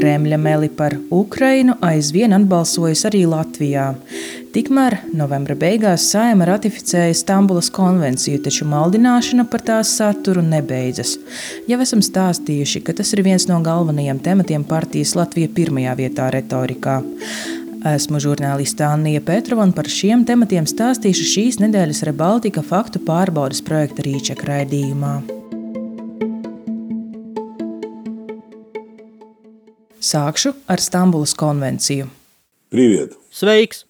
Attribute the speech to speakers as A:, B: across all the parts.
A: Kremļa meli par Ukrainu aizvien atbalsojas arī Latvijā. Tikmēr novembra beigās Saeima ratificēja Stambulas konvenciju, taču maldināšana par tās saturu nebeidzas. Jau esam stāstījuši, ka tas ir viens no galvenajiem tematiem partijas Latvija pirmajā vietā retorikā. Esmu žurnāliste Annija Petrova un par šiem tematiem stāstīšu šīs nedēļas Rebaltika faktu pārbaudes projekta Rīčeka raidījumā. Sākšu ar Stambulas konvenciju.
B: Привет.
C: Sveiks!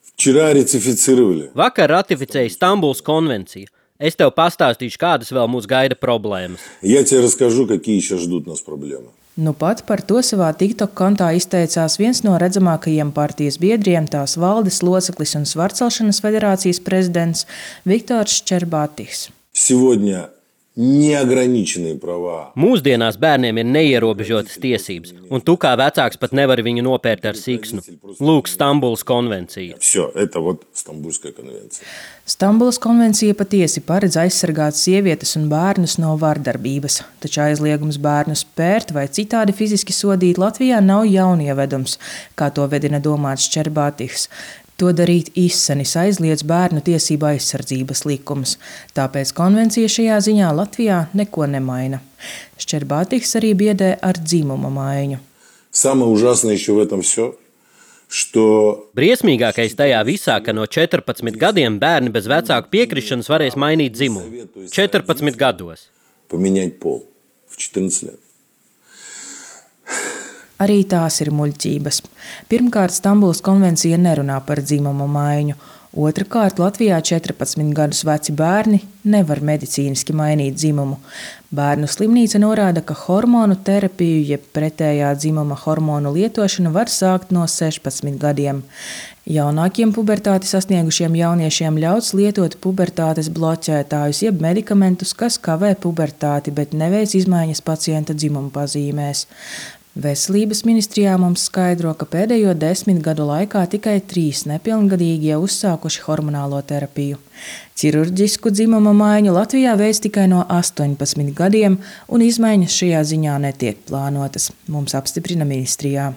B: Вчера ратифицировали.
C: Vakar ratificēja Stambulas konvenciju. Es tev pastāstīšu, kādas vēl mūs gaida problēmas.
B: Я тебе расскажу, какие сейчас ждут нас проблемы.
A: Nu pat par to savā TikTok kontā izteicās viens no redzamākajiem partijas biedriem, tās valdes loceklis un Svarcelšanas federācijas prezidents Viktors Ščerbatihs.
B: Сегодня неограниченные права.
C: Mūsdienās bērniem ir neierobežotas tiesības, un tu kā vecāks pat nevari viņu nopērt ar siksnu. Lūk, Stambulas konvencija.
B: Все, это вот Стамбульская конвенция.
A: Stambulas konvencija patiesi paredz aizsargāt sievietes un bērnus no vardarbības, taču aizliegums bērnus pērt vai citādi fiziski sodīt Latvijā nav jaunievedums, kā to vedina domāts Ščerbatihs. To darīt izsenis aizliedz bērnu tiesību aizsardzības likums, tāpēc konvencija šajā ziņā Latvijā neko nemaina. Ščerbatihs arī biedē ar dzimuma maiņu.
B: Самое ужасное еще в этом все, что
C: Briesmīgākais tajā visā, ka no 14 gadiem bērni bez vecāku piekrišanas varēs mainīt dzimumu. 14 gados.
B: поменять пол в 14 лет.
A: Arī tās ir muļķības. Pirmkārt, Stambulas konvencija nerunā par dzimumu maiņu. Otrakārt, Latvijā 14 gadus veci bērni nevar medicīniski mainīt dzimumu. Bērnu slimnīca norāda, ka hormonu terapiju, jeb pretējā dzimuma hormonu lietošanu var sākt no 16 gadiem. Jaunākiem pubertāti sasniegušiem jauniešiem ļauts lietot pubertātes bloķētājus, jeb medikamentus, kas kavē pubertāti, bet neveic izmaiņas pacienta dzimuma pazīmēs. Veselības ministrijā mums skaidro, ka pēdējo 10 gadu laikā tikai 3 nepilngadīgie uzsākuši hormonālo terapiju. Ķirurģisku dzimuma maiņu Latvijā veic tikai no 18 gadiem, un izmaiņas šajā ziņā netiek plānotas, mums apstiprina ministrijā.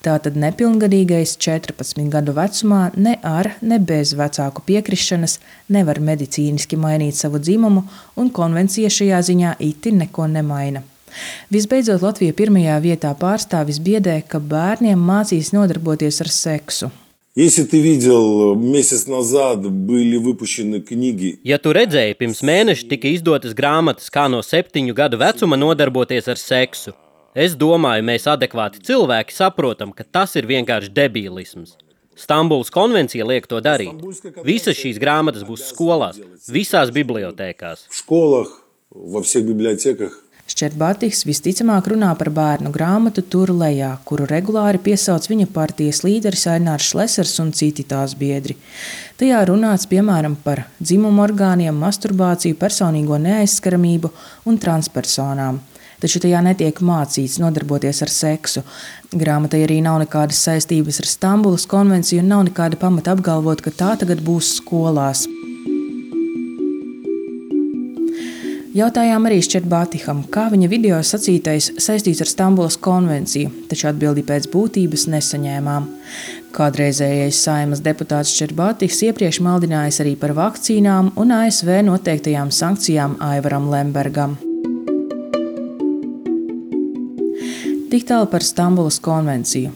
A: Tātad nepilngadīgais 14 gadu vecumā ne ar, ne bez vecāku piekrišanas nevar medicīniski mainīt savu dzimumu, un konvencija šajā ziņā itin neko nemaina. Visbeidzot, Latvija pirmajā vietā pārstāvis biedē, ka bērniem mācīs nodarboties ar seksu.
B: Если ты видел, месяц назад были выпущены книги.
C: Ja tu redzēji, pirms mēneša tika izdotas grāmatas, kā no 7 gadu vecuma nodarboties ar seksu. Es domāju, mēs adekvāti cilvēki saprotam, ka tas ir vienkārši debīlisms. Stambulas konvencija liek to darīt. Visas šīs grāmatas būs skolās, visās bibliotēkās.
B: В школах, во всех библиотеках.
A: Ščerbatihs visticamāk runā par bērnu grāmatu Tur lejā, kuru regulāri piesauc viņa partijas līderis Ainārs Šlesers un citi tās biedri. Tajā runāts piemēram par dzimumu orgāniem, masturbāciju, personīgo neaizskaramību un transpersonām. Taču tajā netiek mācīts nodarboties ar seksu. Grāmatai arī nav nekādas saistības ar Stambulas konvenciju un nav nekāda pamata apgalvot, ka tā tagad būs skolās. Jautājām arī Ščerbatiham, kā viņa video sacītais saistīts ar Stambulas konvenciju, taču atbildi pēc būtības nesaņēmām. Kādreizējais Saeimas deputāts Ščerbatihs iepriekš maldinājis arī par vakcīnām un ASV noteiktajām sankcijām Aivaram Lembergam. Tik tālu par Stambulas konvenciju.